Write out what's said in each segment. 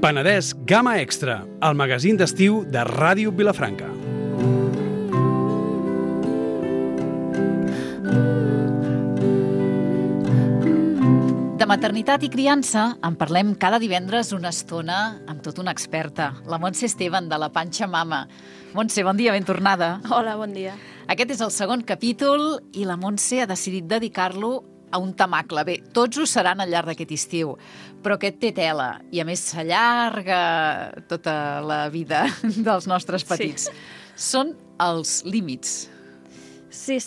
Penedès Gamma Extra, el magazín d'estiu de Ràdio Vilafranca. De maternitat i criança en parlem cada divendres una estona amb tota una experta, la Montse Esteban, de la Panxa Mama. Montse, bon dia, ben tornada. Hola, bon dia. Aquest és el segon capítol i la Montse ha decidit dedicar-lo a un temacle. Bé, tots ho seran al llarg d'aquest estiu, però aquest té tela i a més s'allarga tota la vida dels nostres petits. Sí. Són els límits. Sí.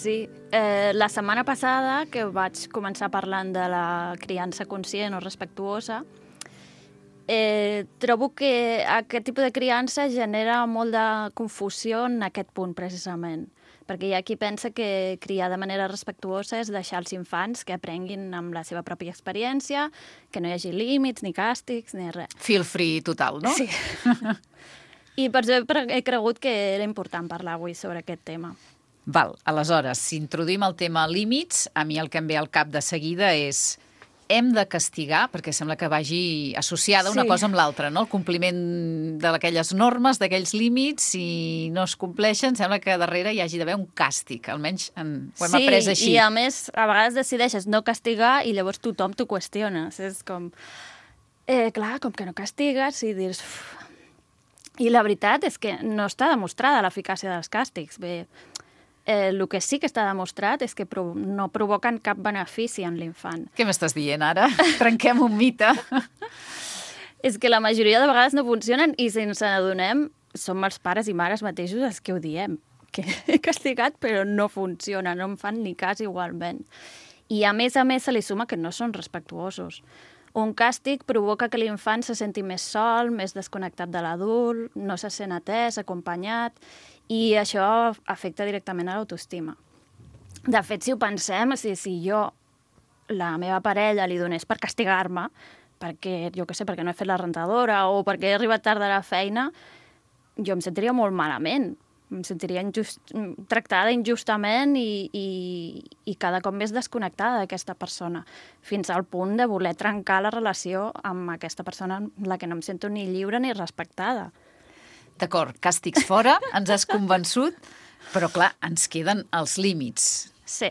La setmana passada, que vaig començar parlant de la criança conscient o respectuosa, trobo que aquest tipus de criança genera molt de confusió en aquest punt, precisament. Perquè hi ha qui pensa que criar de manera respectuosa és deixar els infants que aprenguin amb la seva pròpia experiència, que no hi hagi límits, ni càstigs, ni res. Feel free total, no? Sí. I per això he cregut que era important parlar avui sobre aquest tema. Val, aleshores, si introduïm el tema límits, a mi el que em ve al cap de seguida és hem de castigar, perquè sembla que vagi associada una cosa amb l'altra, no? El compliment d'aquelles normes, d'aquells límits, si no es compleixen, sembla que darrere hi hagi d'haver un càstig, almenys ho hem après així. Sí, i a més, a vegades decideixes no castigar i llavors tothom t'ho qüestiona. És com, clar, com que no castigues i dius... I la veritat és que no està demostrada l'eficàcia dels càstigs. Bé, el que sí que està demostrat és que no provoquen cap benefici en l'infant. Què m'estàs dient ara? Trenquem un mite. És que la majoria de vegades no funcionen i si ens n'adonem, som els pares i mares mateixos els que ho diem. Que he castigat però no funciona, no em fan ni cas igualment. I a més se li suma que no són respectuosos. Un càstig provoca que l'infant se senti més sol, més desconnectat de l'adult, no se sent atès, acompanyat, i això afecta directament a l'autoestima. De fet, si ho pensem, si jo, la meva parella, li donés per castigar-me, perquè, jo què sé, perquè no he fet la rentadora o perquè he arribat tard de la feina, jo em sentiria molt malament. Em sentiria tractada injustament i cada cop més desconnectada d'aquesta persona, fins al punt de voler trencar la relació amb aquesta persona amb la que no em sento ni lliure ni respectada. D'acord, càstigs fora, ens has convençut, però clar, ens queden els límits. Sí.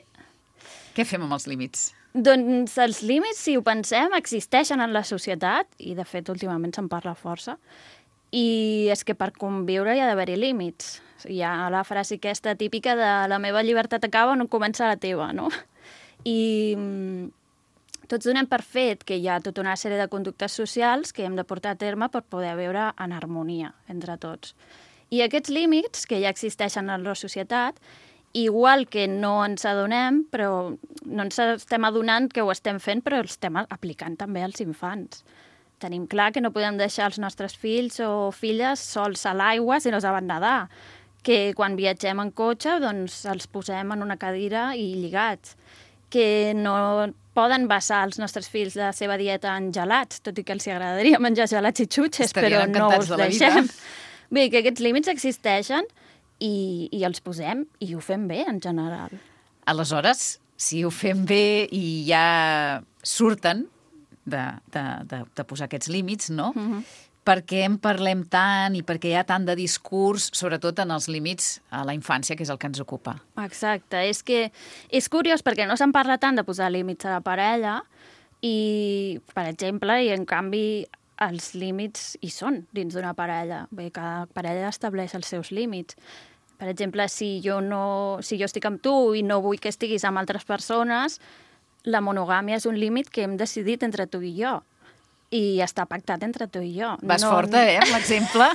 Què fem amb els límits? Doncs els límits, si ho pensem, existeixen en la societat, i de fet últimament se'n parla força, i és que per conviure hi ha d'haver-hi límits. Hi ha la frase aquesta típica de la meva llibertat acaba on comença la teva, no? I tots donem per fet que hi ha tota una sèrie de conductes socials que hem de portar a terme per poder viure en harmonia entre tots. I aquests límits que ja existeixen en la societat, igual que no ens adonem, però no ens estem adonant que ho estem fent, però els estem aplicant també als infants. Tenim clar que no podem deixar els nostres fills o filles sols a l'aigua si no saben nedar, que quan viatgem en cotxe doncs els posem en una cadira i lligats, que no poden basar els nostres fills la seva dieta en gelats, tot i que els agradaria menjar gelats i xutxes, però no us deixem. Bé, que aquests límits existeixen i els posem i ho fem bé en general. Aleshores, si ho fem bé i ja surten de posar aquests límits, no? Per què en parlem tant i per què hi ha tant de discurs, sobretot en els límits a la infància, que és el que ens ocupa? Exacte, és que és curiós perquè no se'n parla tant de posar límits a la parella i, per exemple, i en canvi els límits hi són dins d'una parella. Bé, cada parella estableix els seus límits. Per exemple, si jo estic amb tu i no vull que estiguis amb altres persones, la monogàmia és un límit que hem decidit entre tu i jo. I està pactat entre tu i jo. Vas forta, amb l'exemple.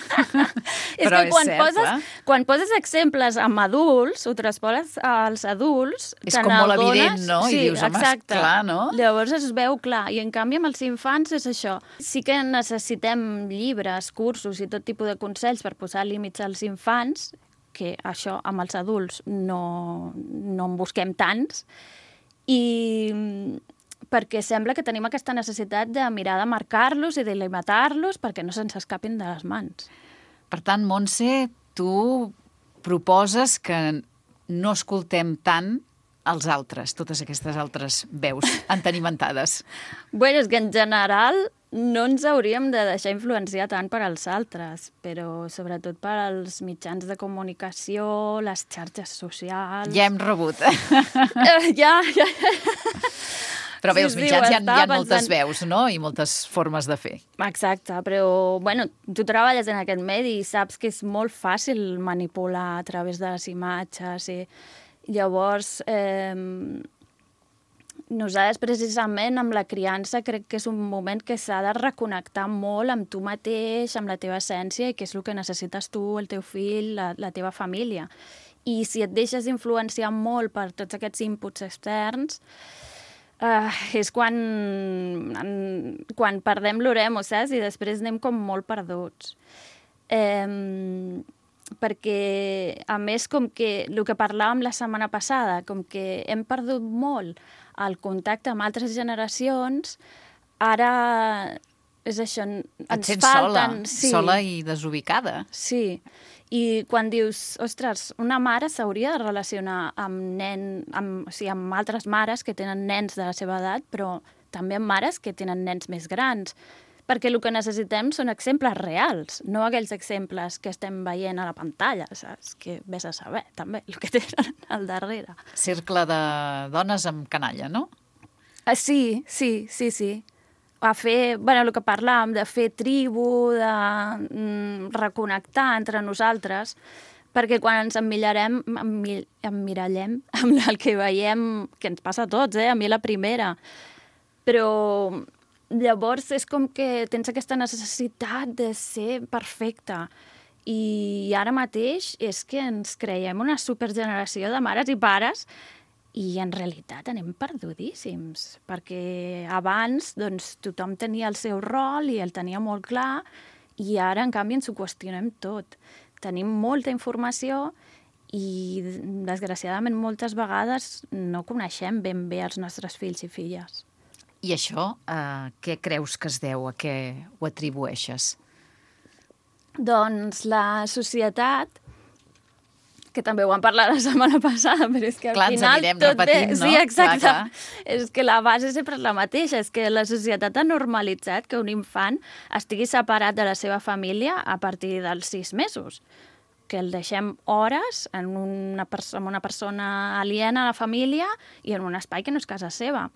És però que és cert, quan poses exemples amb adults, ho transpones als adults... És com molt evident, no? Sí, i dius, home, exacte. Clar, no? Llavors es veu clar. I en canvi amb els infants és això. Sí que necessitem llibres, cursos i tot tipus de consells per posar límits als infants, que això amb els adults no en busquem tants, i perquè sembla que tenim aquesta necessitat de mirar de marcar-los i de limitar-los perquè no se'ns escapin de les mans. Per tant, Montse, tu proposes que no escoltem tant els altres, totes aquestes altres veus entenimentades. Bé, és que en general no ens hauríem de deixar influenciar tant per als altres, però sobretot per als mitjans de comunicació, les xarxes socials... Ja hem rebut. Ja. Però bé, els mitjans hi ha moltes veus, no? I moltes formes de fer. Exacte, però, bueno, tu treballes en aquest medi i saps que és molt fàcil manipular a través de les imatges i llavors... Nosaltres, precisament, amb la criança, crec que és un moment que s'ha de reconnectar molt amb tu mateix, amb la teva essència, i que és el que necessites tu, el teu fill, la teva família. I si et deixes influenciar molt per tots aquests inputs externs, és quan perdem l'oremo, saps? I després anem com molt perduts. Perquè, a més, com que el que parlàvem la setmana passada, com que hem perdut molt el contacte amb altres generacions, ara és això, ens falten... Sola i desubicada. Sí, i quan dius, ostres, una mare s'hauria de relacionar amb altres mares que tenen nens de la seva edat, però també amb mares que tenen nens més grans, perquè el que necessitem són exemples reals, no aquells exemples que estem veient a la pantalla, saps? Que vés a saber, també, el que tenen al darrere. Cercle de dones amb canalla, no? Sí. A fer, el que parlàvem, de fer tribu, de reconnectar entre nosaltres, perquè quan ens emmirallem amb el que veiem, que ens passa a tots, a mi la primera, però... Llavors és com que tens aquesta necessitat de ser perfecta. I ara mateix és que ens creiem una supergeneració de mares i pares i en realitat anem perdudíssims. Perquè abans doncs, tothom tenia el seu rol i el tenia molt clar i ara, en canvi, ens ho qüestionem tot. Tenim molta informació i, desgraciadament, moltes vegades no coneixem ben bé els nostres fills i filles. I això, què creus que es deu? A què ho atribueixes? Doncs la societat, que també ho vam parlar la setmana passada, però és que al final ens anirem tot repetint, no? Sí, exacte. Clar. És que la base sempre és la mateixa, és que la societat ha normalitzat que un infant estigui separat de la seva família a partir dels 6 mesos, que el deixem hores amb una persona aliena a la família i en un espai que no és casa seva.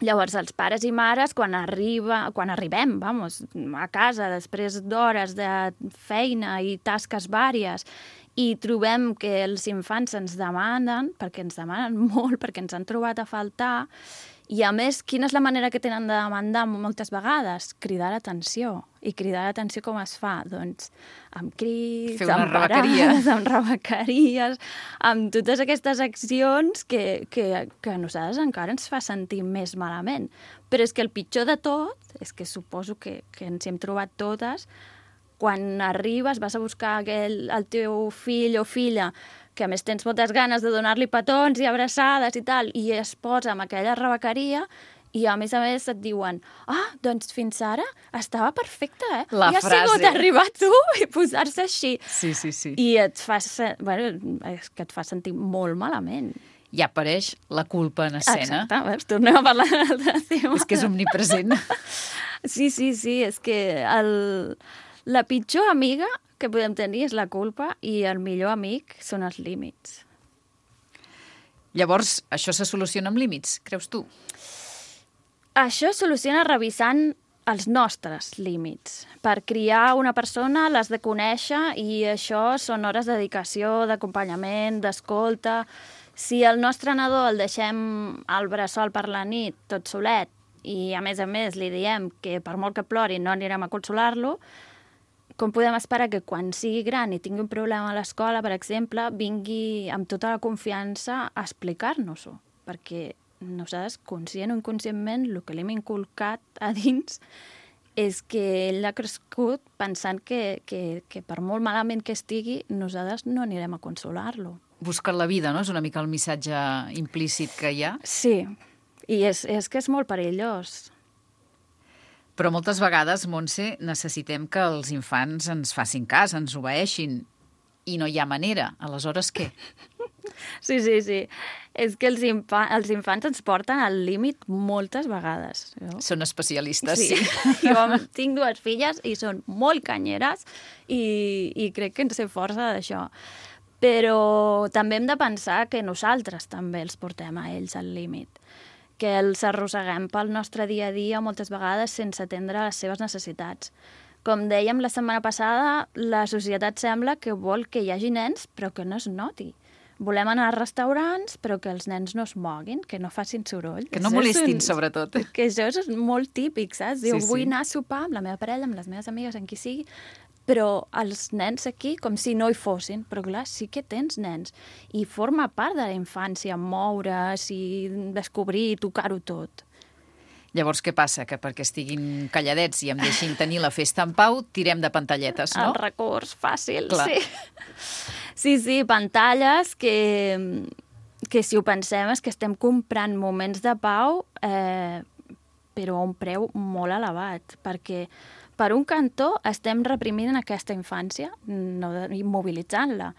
Llavors, els pares i mares, quan arribem a casa després d'hores de feina i tasques vàries i trobem que els infants ens demanen, perquè ens demanen molt, perquè ens han trobat a faltar, i a més, quina és la manera que tenen de demandar moltes vegades? Cridar l'atenció. I cridar l'atenció com es fa? Doncs amb crits, amb parades, amb rebequeries, amb totes aquestes accions que a nosaltres encara ens fa sentir més malament. Però és que el pitjor de tot, és que suposo que ens hi hem trobat totes, quan arribes, vas a buscar el teu fill o filla, que a més tens moltes ganes de donar-li petons i abraçades i tal, i es posa amb aquella rebequeria i a més et diuen doncs fins ara estava perfecta, La I ha sigut arribar tu i posar-se així. Sí. I et fa sentir molt malament. I apareix la culpa en escena. Exacte, tornem a parlar d'un altre tema. És que és omnipresent. Sí, és que la pitjor amiga que podem tenir és la culpa i el millor amic són els límits. Llavors, això se soluciona amb límits, creus tu? Això es soluciona revisant els nostres límits. Per criar una persona l'has de conèixer i això són hores de dedicació, d'acompanyament, d'escolta. Si el nostre nadó el deixem al bressol per la nit, tot solet, i a més li diem que per molt que plori no anirem a consolar-lo, com podem esperar que quan sigui gran i tingui un problema a l'escola, per exemple, vingui amb tota la confiança a explicar-nos-ho? Perquè nosaltres, conscient o inconscientment, el que l'hem inculcat a dins és que ell ha crescut pensant que per molt malament que estigui, nosaltres no anirem a consolar-lo. Buscar la vida, no? És una mica el missatge implícit que hi ha. Sí, i és que és molt perillós. Però moltes vegades, Montse, necessitem que els infants ens facin cas, ens obeeixin, i no hi ha manera. Aleshores, què? Sí. És que els infants ens porten al límit moltes vegades. No? Són especialistes, sí. Jo tinc 2 filles i són molt canyeres i crec que en sé força d'això. Però també hem de pensar que nosaltres també els portem a ells al límit, que els arrosseguem pel nostre dia a dia moltes vegades sense atendre les seves necessitats. Com dèiem la setmana passada, la societat sembla que vol que hi hagi nens però que no es noti. Volem anar a restaurants però que els nens no es moguin, que no facin soroll. Que no molestin, sobretot. Que això és molt típic, saps? Diu, vull anar a sopar amb la meva parella, amb les meves amigues, amb qui sigui, però els nens aquí com si no hi fossin. Però clar, sí que tens nens. I forma part de la infància, moure's i descobrir i tocar-ho tot. Llavors, què passa? Que perquè estiguin calladets i em deixin tenir la festa en pau, tirem de pantalletes, no? El recurs fàcil, clar. Sí, pantalles que si ho pensem és que estem comprant moments de pau però a un preu molt elevat, perquè per un cantó estem reprimint aquesta infància, no immobilitzant-la,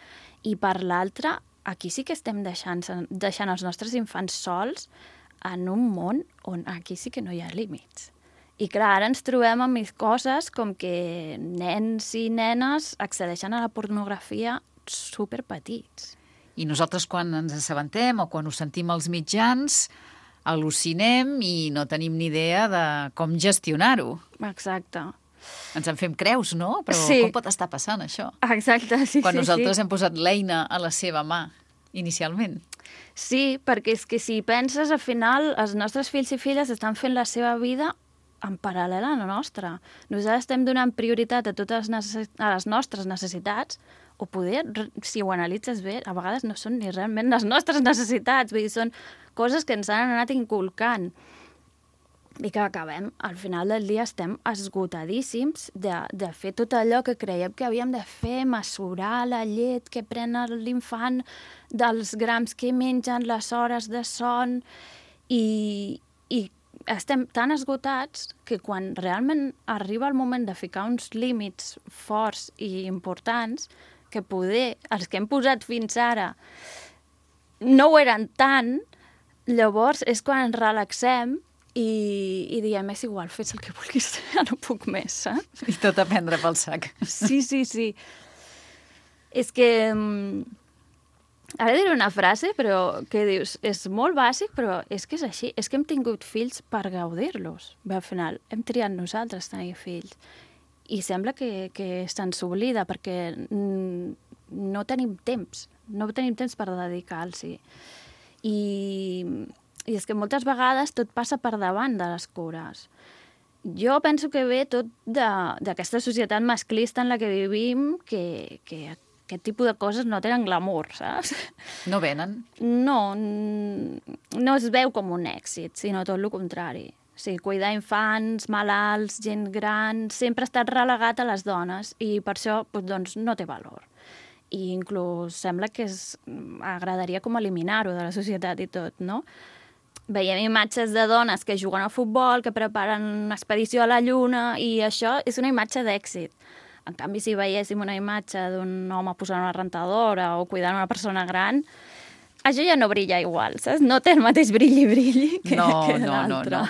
i per l'altre, aquí sí que estem deixant els nostres infants sols en un món on aquí sí que no hi ha límits. I clar, ara ens trobem amb coses com que nens i nenes accedeixen a la pornografia superpetits. I nosaltres quan ens assabentem o quan ho sentim als mitjans al·lucinem i no tenim ni idea de com gestionar-ho. Exacte. Ens en fem creus, no? Però sí. Com pot estar passant això? Exacte, sí. Quan nosaltres hem posat l'eina a la seva mà, inicialment. Sí, perquè és que si penses, al final, els nostres fills i filles estan fent la seva vida en paral·lel a la nostra. Nosaltres estem donant prioritat a totes les nostres necessitats, o poder, si ho analitzes bé, a vegades no són ni realment les nostres necessitats, vull dir, són coses que ens han anat inculcant i que acabem, al final del dia estem esgotadíssims de fer tot allò que creiem que havíem de fer, mesurar la llet que pren l'infant, dels grams que mengen, les hores de son, i estem tan esgotats que quan realment arriba el moment de ficar uns límits forts i importants, que poder, els que hem posat fins ara, no ho eren tant, llavors és quan ens relaxem i diem, és igual, fes el que vulguis, ja no puc més, saps? I tot a prendre pel sac. Sí. És que... Ara diré una frase, però que dius, és molt bàsic, però és que és així. És que hem tingut fills per gaudir-los. Al final, hem triat nosaltres tenir fills. I sembla que se'ns oblida, perquè no tenim temps. No tenim temps per dedicar-los-hi. I és que moltes vegades tot passa per davant de les cures. Jo penso que ve tot d'aquesta societat masclista en la que vivim, que aquest tipus de coses no tenen glamour, saps? No venen? No es veu com un èxit, sinó tot el contrari. O sigui, cuidar infants, malalts, gent gran, sempre ha estat relegat a les dones i per això doncs, no té valor. I inclús sembla que agradaria com eliminar-ho de la societat i tot, no? Veiem imatges de dones que juguen a futbol, que preparen una expedició a la Lluna, i això és una imatge d'èxit. En canvi, si veiéssim una imatge d'un home posant una rentadora o cuidant una persona gran, això ja no brilla igual, saps? No té el mateix brilli que l'altre. No.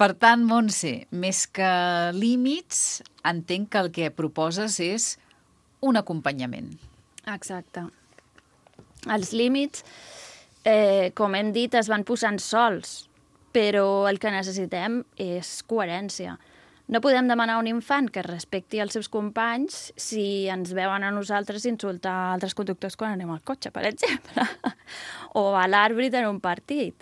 Per tant, Montse, més que límits, entenc que el que proposes és un acompanyament. Exacte. Els límits, com hem dit, es van posant sols, però el que necessitem és coherència. No podem demanar a un infant que respecti els seus companys si ens veuen a nosaltres insultar altres conductors quan anem al cotxe, per exemple, o a l'àrbit en un partit.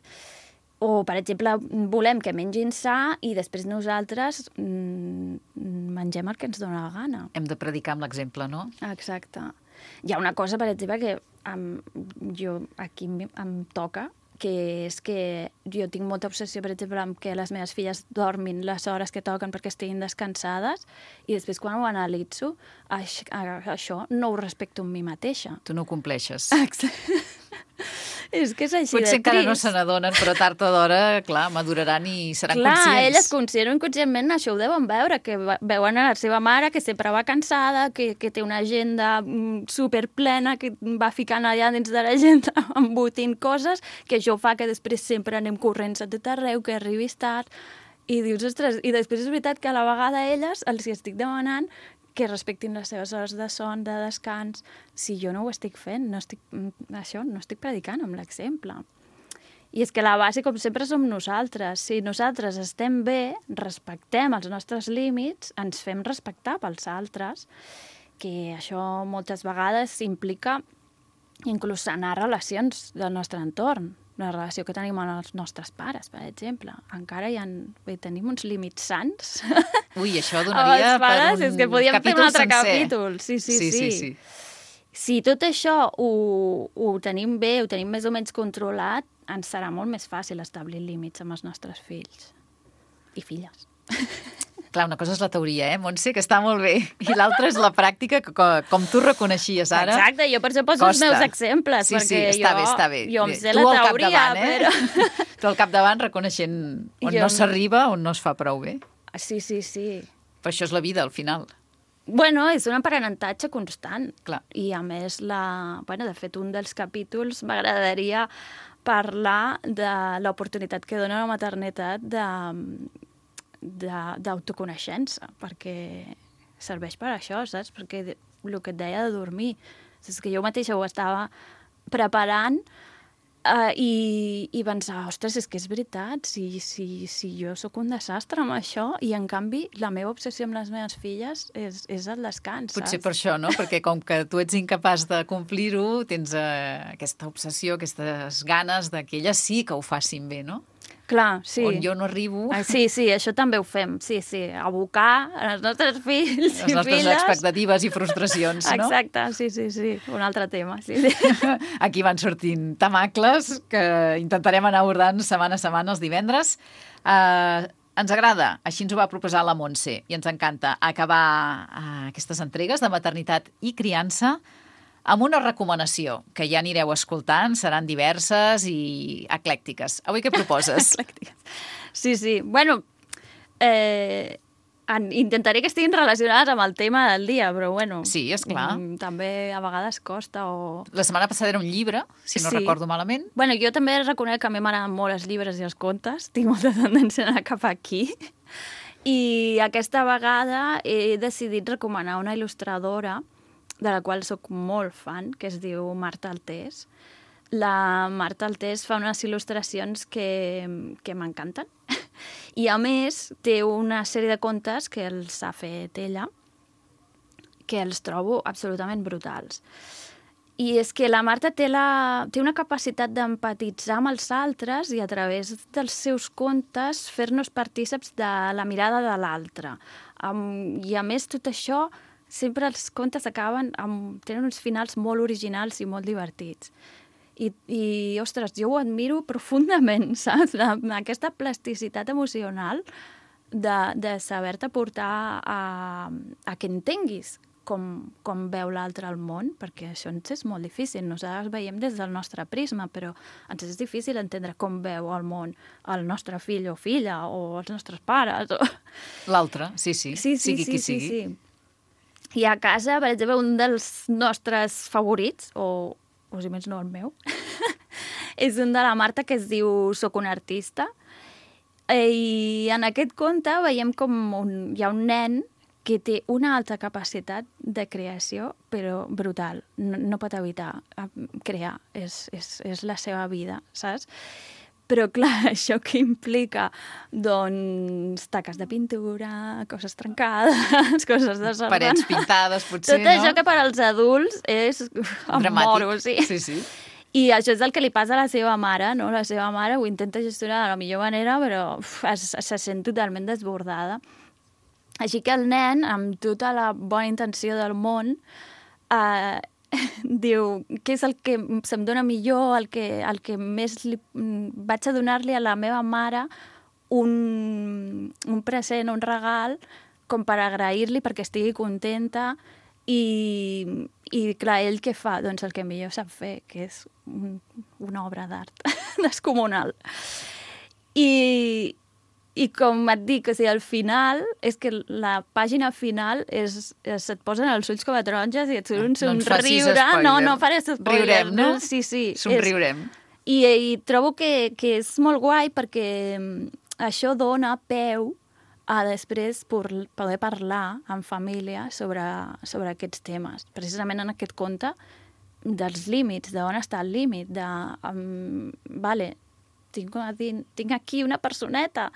O, per exemple, volem que mengin sa i després nosaltres mengem el que ens dóna la gana. Hem de predicar amb l'exemple, no? Exacte. Hi ha una cosa, per exemple, que aquí em toca, que és que jo tinc molta obsessió, per exemple, amb que les meves filles dormin les hores que toquen perquè estiguin descansades, i després quan ho analitzo, això no ho respecto amb mi mateixa. Tu no ho compleixes. Exacte. És que és així Potser de encara trist. no se n'adonen, però tard o d'hora, clar, maduraran i seran Clar, conscients. elles conscient o inconscientment això ho deuen veure, que veuen a la seva mare que sempre va cansada, que té una agenda superplena, que va ficant allà dins de l'agenda embotint coses, que això fa que després sempre anem corrents a tot arreu, que arribis tard, i dius, ostres, i després és veritat que a la vegada a elles els hi estic demanant que respectin les seves hores de son, de descans. Si jo no ho estic fent, no estic predicant amb l'exemple. I és que la base, com sempre, som nosaltres. Si nosaltres estem bé, respectem els nostres límits, ens fem respectar pels altres, que això moltes vegades implica inclús sanar relacions del nostre entorn. La relació que tenim amb els nostres pares, per exemple. Encara tenim uns límits sants. Ui, això donaria pares, per un és que podíem fer un altre sencer. capítol. Sí. Si tot això ho tenim bé, ho tenim més o menys controlat, ens serà molt més fàcil establir límits amb els nostres fills i filles. Clar, una cosa és la teoria, Montse, que està molt bé, i l'altra és la pràctica, que com tu reconeixies ara. Exacte, jo per això poso els meus exemples, perquè està bé. Jo em sé la teoria, però... Tu al capdavant reconeixent on no s'arriba, on no es fa prou bé. Sí. Però això és la vida, al final. Bueno, és un aprenentatge constant. Clar. I a més, de fet, un dels capítols m'agradaria parlar de l'oportunitat que dona la maternitat d'autoconeixença, perquè serveix per això, saps? Perquè el que et deia de dormir, és que jo mateixa ho estava preparant i pensava, ostres, és que és veritat, si jo sóc un desastre amb això, i en canvi la meva obsessió amb les meves filles és el descans, Potser saps? per això, no? Perquè com que tu ets incapaç de complir-ho, tens aquesta obsessió, aquestes ganes de que elles sí que ho facin bé, no? Clar, sí. On jo no arribo... Sí, això també ho fem, sí. Abocar els nostres fills les i nostres filles... expectatives i frustracions, no? Exacte, sí. Un altre tema, sí. Aquí van sortint temacles que intentarem anar abordant setmana a setmana els divendres. Ens agrada, així ens ho va proposar la Montse, i ens encanta acabar aquestes entregues de maternitat i criança amb una recomanació, que ja anireu escoltant, seran diverses i eclèctiques. Avui què proposes? Eclèctiques. Sí. Bueno, intentaré que estiguin relacionades amb el tema del dia, però bueno... Sí, esclar. També a vegades costa o... La setmana passada era un llibre, si no recordo malament. Bueno, jo també reconec que a mi m'agraden molt els llibres i els contes, tinc molta tendència a anar cap aquí. I aquesta vegada he decidit recomanar una il·lustradora de la qual sóc molt fan, que es diu Marta Altés. La Marta Altés fa unes il·lustracions que m'encanten. I, a més, té una sèrie de contes que els ha fet ella, que els trobo absolutament brutals. I és que la Marta té una capacitat d'empatitzar amb els altres i a través dels seus contes fer-nos partíceps de la mirada de l'altre. I, a més, tot això... Sempre els contes tenen uns finals molt originals i molt divertits. I ostres, jo ho admiro profundament, saps? Aquesta plasticitat emocional de saber-te portar a que entenguis com veu l'altre al món, perquè això ens és molt difícil. Nosaltres veiem des del nostre prisma, però ens és difícil entendre com veu el món el nostre fill o filla o els nostres pares. L'altre, sí. Sigui qui sigui. Sí. I a casa, per exemple, un dels nostres favorits, o si més no el meu, és un de la Marta que es diu Soc un artista. I en aquest conte veiem com hi ha un nen que té una alta capacitat de creació, però brutal. No pot evitar crear, és la seva vida, saps? Però, clar, això que implica, doncs, taques de pintura, coses trencades, coses desordenades... Parets pintades, potser, no? Tot això que per als adults és... dramàtic. Moro, sí. Sí. I això és el que li passa a la seva mare, no? La seva mare ho intenta gestionar de la millor manera, però se sent totalment desbordada. Així que el nen, amb tota la bona intenció del món, diu què és el que se'm dona millor, el que més vaig a donar-li a la meva mare un present, un regal, com per agrair-li perquè estigui contenta I clar, ell què fa? Doncs el que millor sap fer, que és una obra d'art descomunal. I com et dic, o sigui, al final, és que la pàgina final se't posen els ulls com a taronges i et surt un somriure. No faré spoiler. Riurem, no? Sí. Somriurem. I trobo que és molt guai perquè això dona peu a després poder parlar en família sobre aquests temes. Precisament en aquest conte dels límits, d'on està el límit, tinc aquí una personeta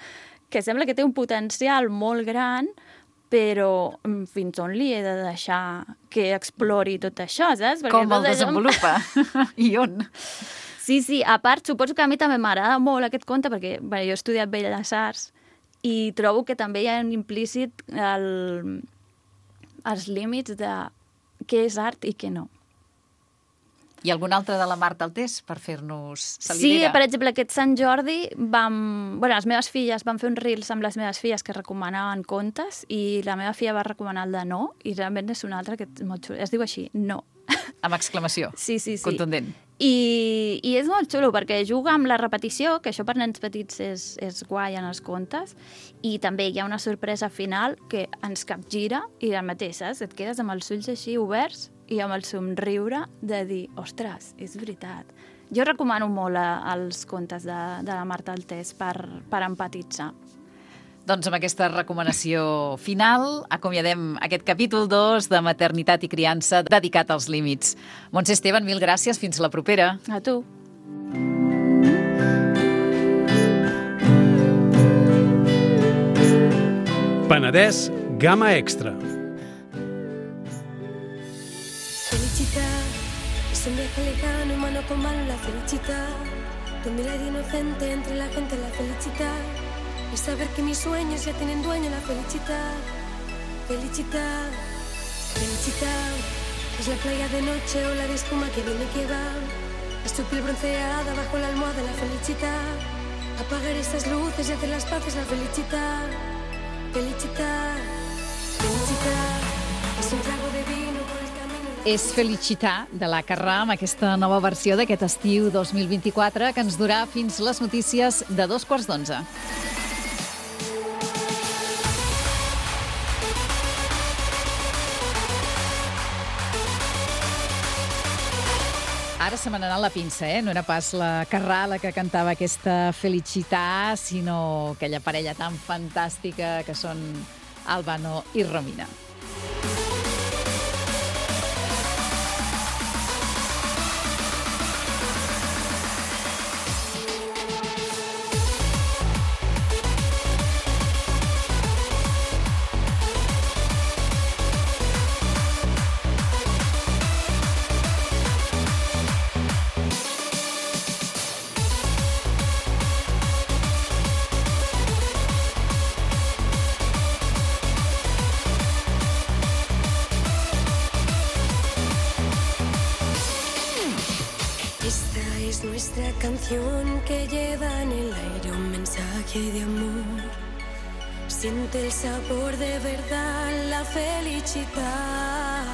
que sembla que té un potencial molt gran, però fins on li he de deixar que explori tot això, saps? Perquè com el desenvolupa? I on? Sí, a part, suposo que a mi també m'agrada molt aquest conte, perquè jo he estudiat Belles Arts i trobo que també hi ha implícit els límits de què és art i què no. I algun altre de la Marta Altés per fer-nos salivera? Sí, per exemple, aquest Sant Jordi les meves filles van fer un reels amb les meves filles que recomanaven contes i la meva filla va recomanar el de No i realment és un altre que és molt xulo. Es diu així, No. Amb exclamació. Sí. Contundent. I és molt xulo perquè juga amb la repetició, que això per nens petits és guai en els contes, i també hi ha una sorpresa final que ens capgira i el mateix, saps? Et quedes amb els ulls així oberts i amb el somriure de dir, ostres, és veritat. Jo recomano molt els contes de la Marta Altés per empatitzar. Doncs amb aquesta recomanació final acomiadem aquest capítol 2 de Maternitat i Criança dedicat als límits. Montse Esteban, mil gràcies. Fins la propera. A tu. Penedès Gamma Extra. Felicidad es un viaje lejano, humano con mano, la felicidad. Tu mirada inocente entre la gente, la felicidad. Es saber que mis sueños ya tienen dueño, la felicidad. Felicidad, felicidad. Es la playa de noche o la de espuma que viene y que va. Es tu piel bronceada bajo la almohada, la felicidad. Apagar estas luces y hacer las paces, la felicidad. Felicidad, felicidad. És un trago de vino por el camino. És Felicitar de la Carrà amb aquesta nova versió d'aquest estiu 2024 que ens durà fins les notícies de 11:15. Ara se me n'ha anat la pinça, No era pas la Carrà la que cantava aquesta Felicitar, sinó aquella parella tan fantàstica que són Albano i Romina. Nuestra canción que lleva en el aire un mensaje de amor. Siente el sabor de verdad, la felicidad.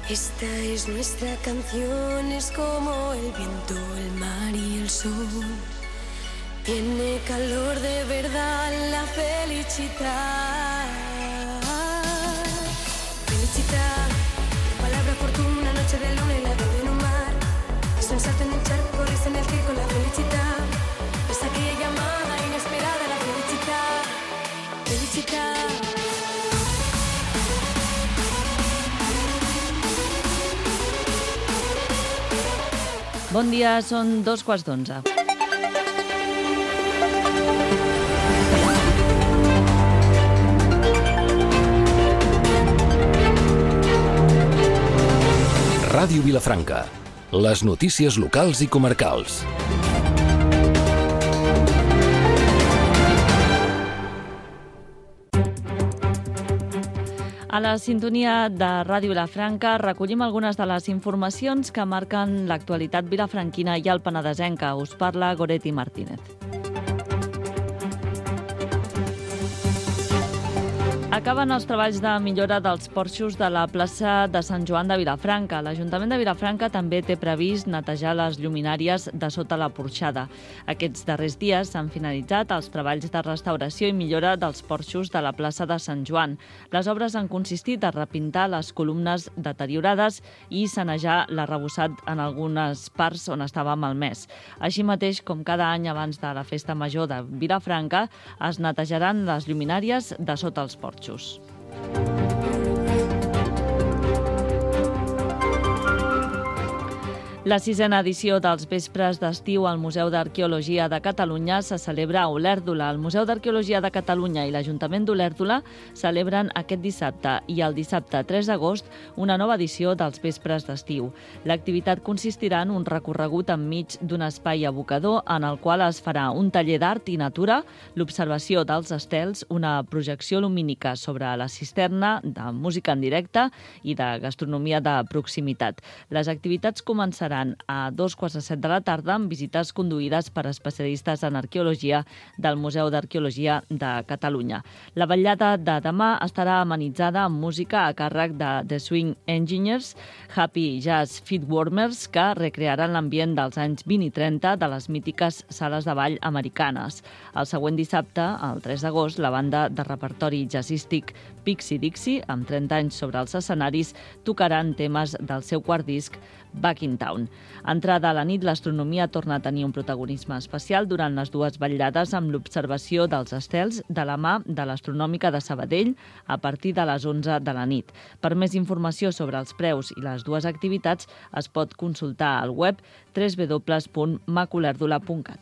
Esta es nuestra canción, es como el viento, el mar y el sol. Tiene calor de verdad, la felicidad. Felicidad, palabra fortuna, noche de luna y la vida en un mar. Es un salto en el charco, risa en el circo, la felicidad. Es aquella llamada inesperada, la felicidad. Felicidad. Bon dia, són 11:15. Ràdio Vilafranca. Les notícies locals i comarcals. A la sintonia de Ràdio Vilafranca recollim algunes de les informacions que marquen l'actualitat vilafranquina i el penedesenca. Us parla Goretti Martínez. A S'acaben els treballs de millora dels porxos de la plaça de Sant Joan de Vilafranca. L'Ajuntament de Vilafranca també té previst netejar les lluminàries de sota la porxada. Aquests darrers dies s'han finalitzat els treballs de restauració i millora dels porxos de la plaça de Sant Joan. Les obres han consistit a repintar les columnes deteriorades i sanejar l'arrebossat en algunes parts on estava malmès. Així mateix, com cada any abans de la Festa Major de Vilafranca, es netejaran les lluminàries de sota els porxos. La 6a edició dels Vespres d'Estiu al Museu d'Arqueologia de Catalunya se celebra a Olèrdola. El Museu d'Arqueologia de Catalunya i l'Ajuntament d'Olèrdola celebren aquest dissabte i el dissabte 3 d'agost una nova edició dels Vespres d'Estiu. L'activitat consistirà en un recorregut enmig d'un espai abocador en el qual es farà un taller d'art i natura, l'observació dels estels, una projecció lumínica sobre la cisterna, de música en directe i de gastronomia de proximitat. Les activitats començaran a 2:15 de la tarda amb visites conduïdes per especialistes en arqueologia del Museu d'Arqueologia de Catalunya. La vetllada de demà estarà amenitzada amb música a càrrec de The Swing Engineers, Happy Jazz Feetwarmers, que recrearan l'ambient dels anys 20 i 30 de les mítiques sales de ball americanes. El següent dissabte, el 3 d'agost, la banda de repertori jazzístic Pixie Dixie, amb 30 anys sobre els escenaris, tocaran temes del seu quart disc, Back in Town. Entrada a la nit, l'astronomia torna a tenir un protagonisme especial durant les dues vetllades amb l'observació dels estels de la mà de l'Astronòmica de Sabadell a partir de les 11 de la nit. Per més informació sobre els preus i les dues activitats es pot consultar al web www.macolèrdola.cat.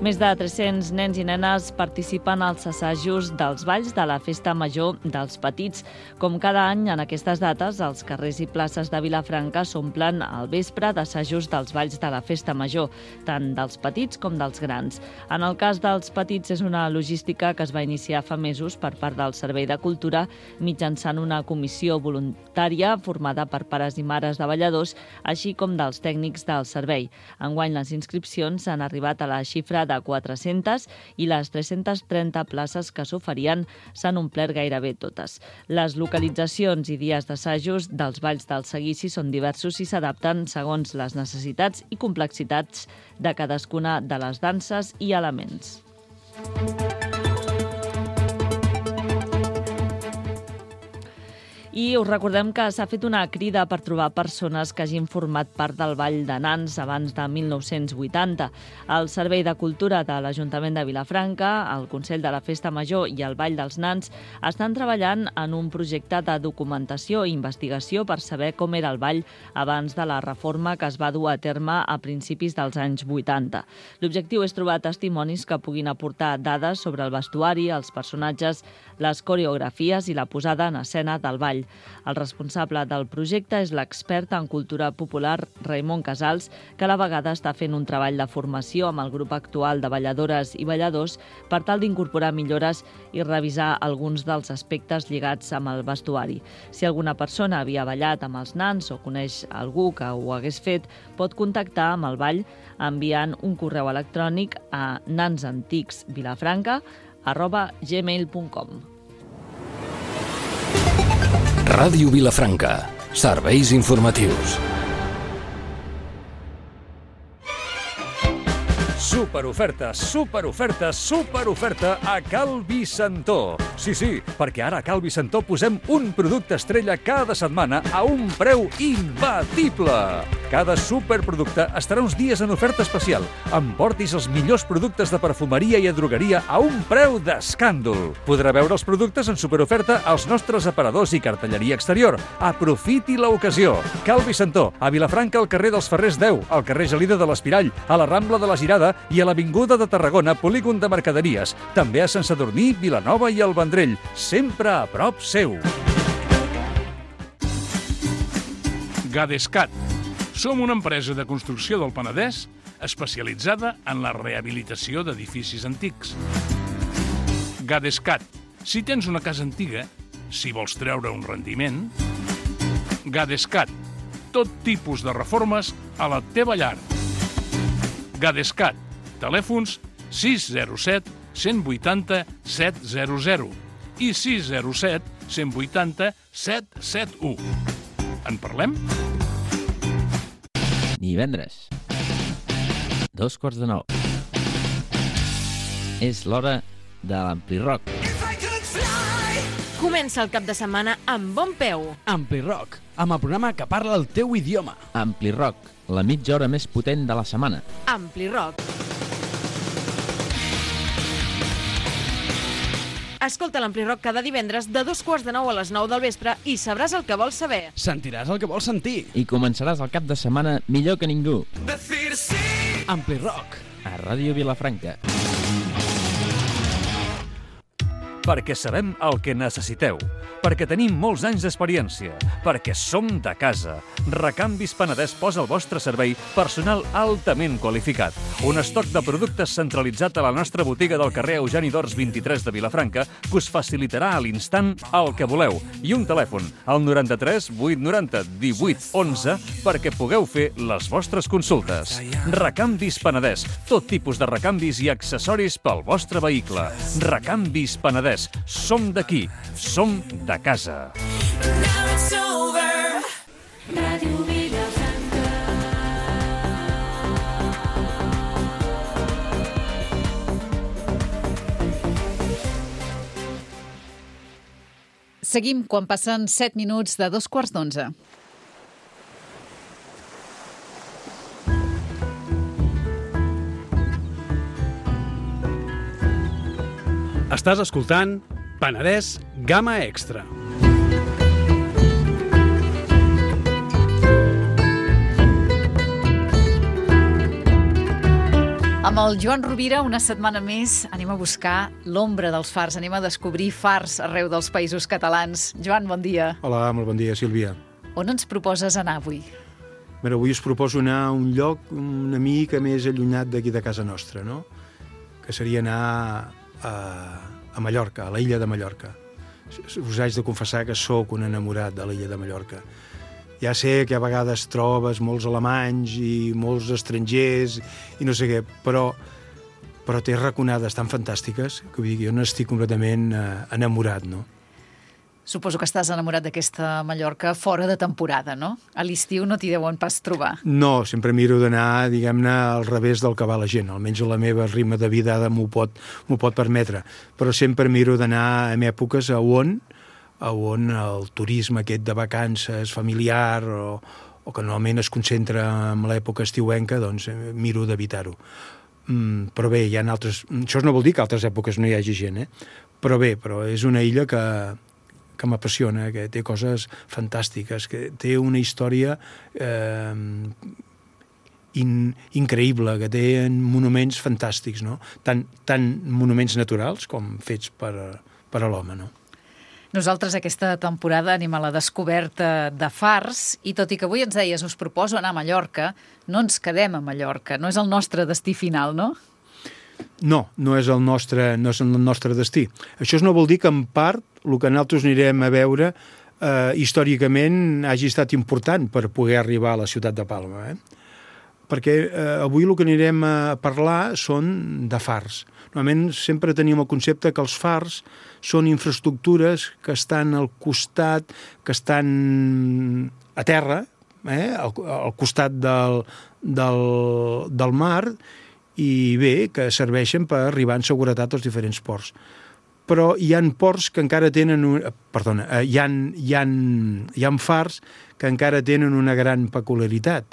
Més de 300 nens i nenes participen als assajos dels balls de la Festa Major dels Petits. Com cada any, en aquestes dates, els carrers i places de Vilafranca s'omplen al vespre d'assajos dels balls de la Festa Major, tant dels petits com dels grans. En el cas dels petits, és una logística que es va iniciar fa mesos per part del Servei de Cultura mitjançant una comissió voluntària formada per pares i mares de balladors, així com dels tècnics del servei. Enguany, les inscripcions han arribat a la xifra de 400 i les 330 places que s'oferien s'han omplert gairebé totes. Les localitzacions i dies d'assajos dels balls del seguici són diversos i s'adapten segons les necessitats i complexitats de cadascuna de les danses i elements. I us recordem que s'ha fet una crida per trobar persones que hagin format part del Ball de Nans abans de 1980. El Servei de Cultura de l'Ajuntament de Vilafranca, el Consell de la Festa Major i el Ball dels Nans estan treballant en un projecte de documentació i investigació per saber com era el ball abans de la reforma que es va dur a terme a principis dels anys 80. L'objectiu és trobar testimonis que puguin aportar dades sobre el vestuari, els personatges, les coreografies i la posada en escena del ball. El responsable del projecte és l'expert en cultura popular Raimon Casals, que a la vegada està fent un treball de formació amb el grup actual de balladores i balladors per tal d'incorporar millores i revisar alguns dels aspectes lligats amb el vestuari. Si alguna persona havia ballat amb els nans o coneix algú que ho hagués fet, pot contactar amb el ball enviant un correu electrònic a nansanticsvilafranca@gmail.com. Ràdio Vilafranca. Serveis informatius. Superoferta, superoferta, superoferta a Cal Vicentó. Sí, perquè ara a Cal Vicentó posem un producte estrella cada setmana a un preu imbatible. Cada superproducte estarà uns dies en oferta especial. Emportis els millors productes de perfumeria i drogueria a un preu d'escàndol. Podrà veure els productes en superoferta als nostres aparadors i cartelleria exterior. Aprofiti l'ocasió. Cal Vicentó, a Vilafranca, al carrer dels Ferrers 10, al carrer Gelida de l'Espirall, a la Rambla de la Girada i a l'Avinguda de Tarragona, polígon de mercaderies. També a Sant Sadurní, Vilanova i el Vendrell. Sempre a prop seu. Gadescat. Som una empresa de construcció del Penedès especialitzada en la rehabilitació d'edificis antics. Gadescat. Si tens una casa antiga, si vols treure un rendiment, Gadescat. Tot tipus de reformes a la teva llar. Gadescat. Telèfons 607 180 700 i 607 180 771. En parlem? Divendres, 8:45. És l'hora de l'Ampli Rock. Comença el cap de setmana amb bon peu. Ampli Rock, amb el programa que parla el teu idioma. Ampli Rock, la mitja hora més potent de la setmana. Ampli Rock. Escolta l'Ampli Rock cada divendres de 8:45 a les 9 del vespre i sabràs el que vols saber. Sentiràs el que vols sentir. I començaràs el cap de setmana millor que ningú. Ampli Rock. A Ràdio Vilafranca. Perquè sabem el que necessiteu, perquè tenim molts anys d'experiència, perquè som de casa. Recanvis Penedès posa al vostre servei personal altament qualificat. Un estoc de productes centralitzat a la nostra botiga del carrer Eugeni d'Ors 23 de Vilafranca que us facilitarà a l'instant el que voleu. I un telèfon, al 93 890 18 11, perquè pugueu fer les vostres consultes. Recanvis Penedès, tot tipus de recanvis i accessoris pel vostre vehicle. Recanvis Penedès. Som d'aquí, som de casa. Ràdio Vilafranca. Seguim quan passen 7 minuts de 11:15. Estàs escoltant Penedès Gamma Extra. Amb el Joan Rovira, una setmana més, anem a buscar l'ombra dels fars, anem a descobrir fars arreu dels països catalans. Joan, bon dia. Hola, molt bon dia, Sílvia. On ens proposes anar avui? Mira, avui us proposo anar a un lloc una mica més allunyat d'aquí de casa nostra, no? Que seria anar a Mallorca, a l'illa de Mallorca. Us haig de confessar que sóc un enamorat de l'illa de Mallorca. Ja sé que a vegades trobes molts alemanys i molts estrangers i no sé què, però té raconades tan fantàstiques que vull dir que jo n'estic completament enamorat, no? Suposo que estàs enamorat d'aquesta Mallorca fora de temporada, no? A l'estiu no t'hi deuen pas trobar. No, sempre miro d'anar, diguem-ne, al revés del que va la gent. Almenys la meva ritme de vida m'ho pot permetre. Però sempre miro d'anar en èpoques on el turisme aquest de vacances familiar o que normalment es concentra en l'època estiuenca, doncs miro d'evitar-ho. Però bé, hi ha altres... Això no vol dir que a altres èpoques no hi hagi gent, Però bé, és una illa que m'apassiona, que té coses fantàstiques, que té una història increïble, que té monuments fantàstics, no? Tant monuments naturals com fets per a l'home, no? Nosaltres aquesta temporada anem a la descoberta de fars i tot i que avui ens deies us proposo anar a Mallorca, no ens quedem a Mallorca, no és el nostre destí final, no? No és el nostre destí. Això no vol dir que en part el que nosaltres anirem a veure històricament hagi estat important per poder arribar a la ciutat de Palma, perquè avui el que anirem a parlar són de fars. Normalment sempre tenim el concepte que els fars són infraestructures que estan al costat, que estan a terra, al costat del mar, i bé, que serveixen per arribar en seguretat als diferents ports. Però hi ha ports que encara tenen... hi ha fars que encara tenen una gran peculiaritat,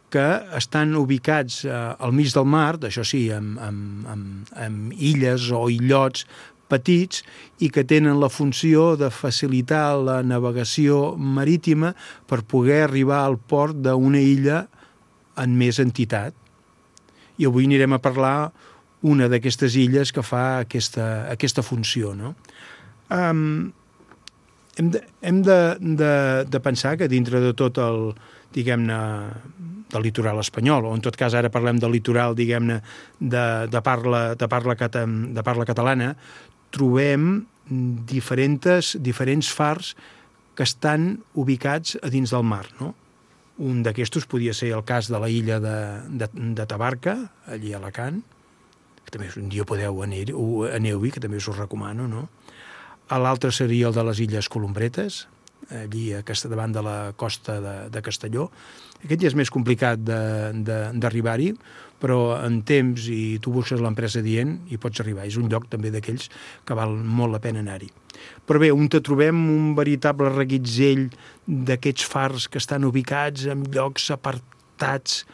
que estan ubicats al mig del mar, això sí, amb illes o illots petits, i que tenen la funció de facilitar la navegació marítima per poder arribar al port d'una illa en més entitat. I avui anirem a parlar una d'aquestes illes que fa aquesta funció, no? Hem de pensar que dintre de tot el, diguem-ne, del litoral espanyol, o en tot cas ara parlem del litoral, diguem-ne, de parla catalana, trobem diferents fars que estan ubicats a dins del mar, no? Un d'aquestos podia ser el cas de la illa de Tabarca, allí a Alacant, que també un dia podeu aneu-hi, que també us ho recomano, no? L'altre seria el de les Illes Columbretes, allí davant de la costa de Castelló. Aquest ja és més complicat d'arribar-hi, però en temps i tu busques l'empresa dient hi pots arribar. És un lloc també d'aquells que val molt la pena anar-hi. Però bé, on trobem un veritable reguitzell d'aquests fars que estan ubicats en llocs apartats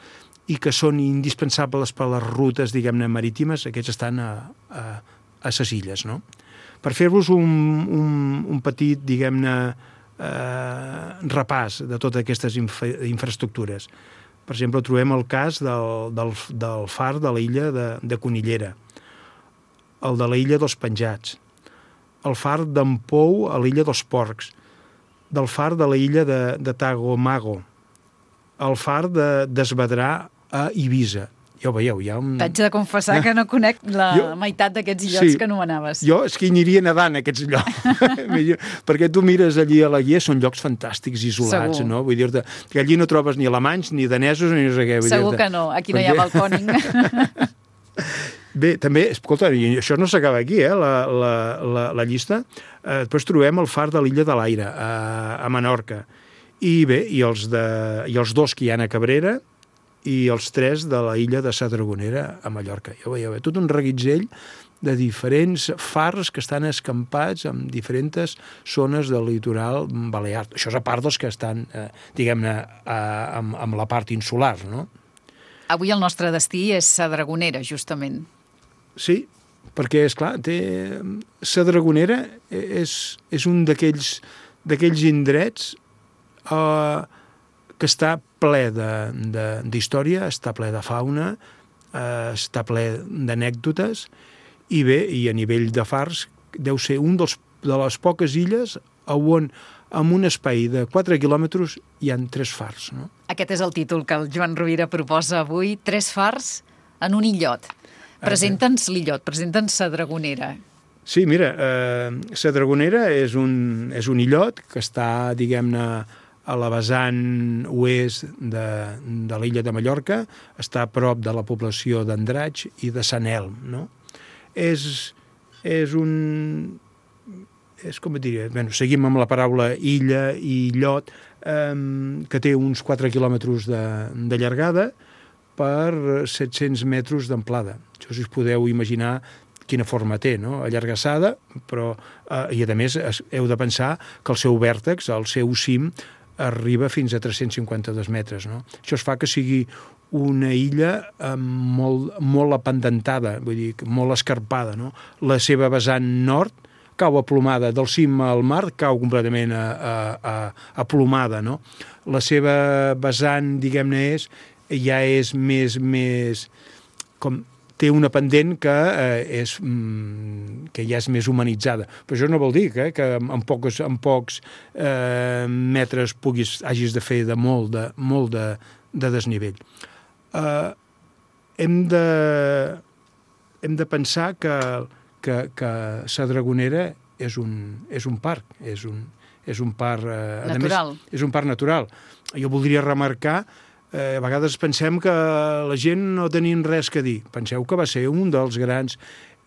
i que són indispensables per les rutes, diguem-ne, marítimes, aquests estan a ses illes, no? Per fer-vos un petit, diguem-ne, repàs de totes aquestes infraestructures. Per exemple, trobem el cas del far de la illa de Conillera, el de la illa dels Penjats, el far d'en Pou a l'illa dels Porcs, del far de la illa de Tagomago, el far d'Esvedrà a Eivissa. Ja ho veieu, hi ha un... T'haig de confessar que no conec la meitat d'aquests illots que anomenaves. Jo és que hi aniria nedant, aquests llocs. Perquè tu mires allí a la guia, són llocs fantàstics, isolats, no? Vull dir-te que allí no trobes ni alemanys, ni danesos, ni no sé què. Segur que no, aquí no hi ha balcòning. Bé, també, escolta, i això no s'acaba aquí, la llista. Després trobem el far de l'Illa de l'Aire, a Menorca. I bé, i els dos que hi ha a Cabrera, i els 3 de la illa de Sa Dragonera a Mallorca. Ja ho veieu, tot un reguitzell de diferents fars que estan escampats en diferents zones del litoral balear. Això és a part dels que estan, diguem-ne, amb la part insular, no? Avui el nostre destí és Sa Dragonera, justament. Sí, perquè, esclar, Sa Dragonera és un d'aquells indrets que està ple d'història, està ple de fauna, està ple d'anècdotes, i bé, i a nivell de fars, deu ser un de les poques illes on en un espai de 4 quilòmetres hi ha 3 fars. No? Aquest és el títol que el Joan Rovira proposa avui, 3 fars en un illot. Presenta'ns l'illot, presenta'ns Sa Dragonera. Sí, mira, Sa Dragonera és un illot que està, diguem-ne, a la vessant oest de l'illa de Mallorca, està a prop de la població d'Andratx i de Sant Elm, no? Com et diria? Bueno, seguim amb la paraula illa i illot, que té uns 4 quilòmetres de llargada per 700 metres d'amplada. Això si us podeu imaginar quina forma té, no? Allargassada, però, i a més heu de pensar que el seu vèrtex, el seu cim, arriba fins a 352 metres. No? Això es fa que sigui una illa molt apendentada, vull dir, molt escarpada. No? La seva vessant nord cau aplomada, del cim al mar cau completament aplomada. No? La seva vessant, diguem-ne, ja és més com té una pendent que ja és més humanitzada. Però això no vol dir que en pocs metres hagis de fer de molt de desnivell. Hem de pensar que Sa Dragonera és un parc, és un parc natural. És un parc natural. Jo voldria remarcar a vegades pensem que la gent no tenien res que dir. Penseu que va ser un dels grans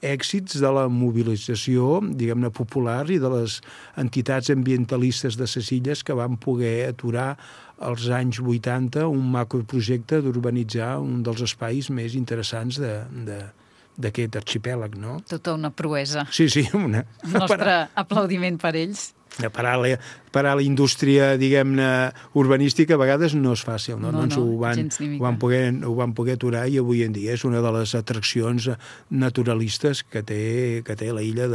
èxits de la mobilització, diguem-ne, popular i de les entitats ambientalistes de ses illes que van poder aturar als anys 80 un macroprojecte d'urbanitzar un dels espais més interessants d'aquest arxipèlag, no? Tota una proesa. Sí, El nostre aplaudiment per ells. Parar la indústria, diguem-ne, urbanística a vegades no és fàcil, no? Doncs ho van poder aturar i avui en dia és una de les atraccions naturalistes que té la illa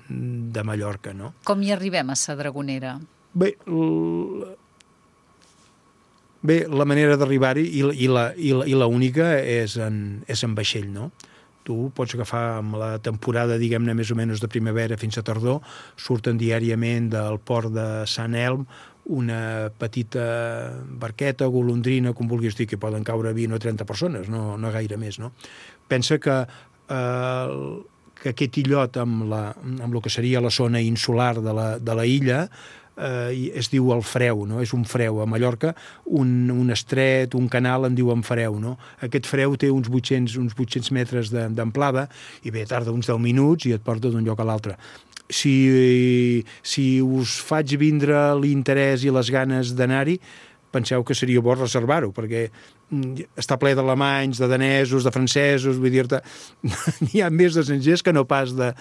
de Mallorca, no? Com hi arribem a Sa Dragonera? Bé, la manera d'arribar-hi i la única és en vaixell, no? Tu pots agafar amb la temporada, diguem-ne, més o menys de primavera fins a tardor, surten diàriament del port de Sant Elm una petita barqueta, golondrina, com vulguis dir, que poden caure 20 o 30 persones, no gaire més, no? Pensa que aquest illot amb el que seria la zona insular de la illa es diu el freu, no? És un freu. A Mallorca, un estret, un canal, en diuen freu, no? Aquest freu té uns 800 metres d'amplada i bé, tarda uns 10 minuts i et porta d'un lloc a l'altre. Si us faig vindre l'interès i les ganes d'anar-hi, penseu que seria bo reservar-ho, perquè està ple d'alemanys, de danesos, de francesos, vull dir-te, n'hi ha més d'estrangers que no pas de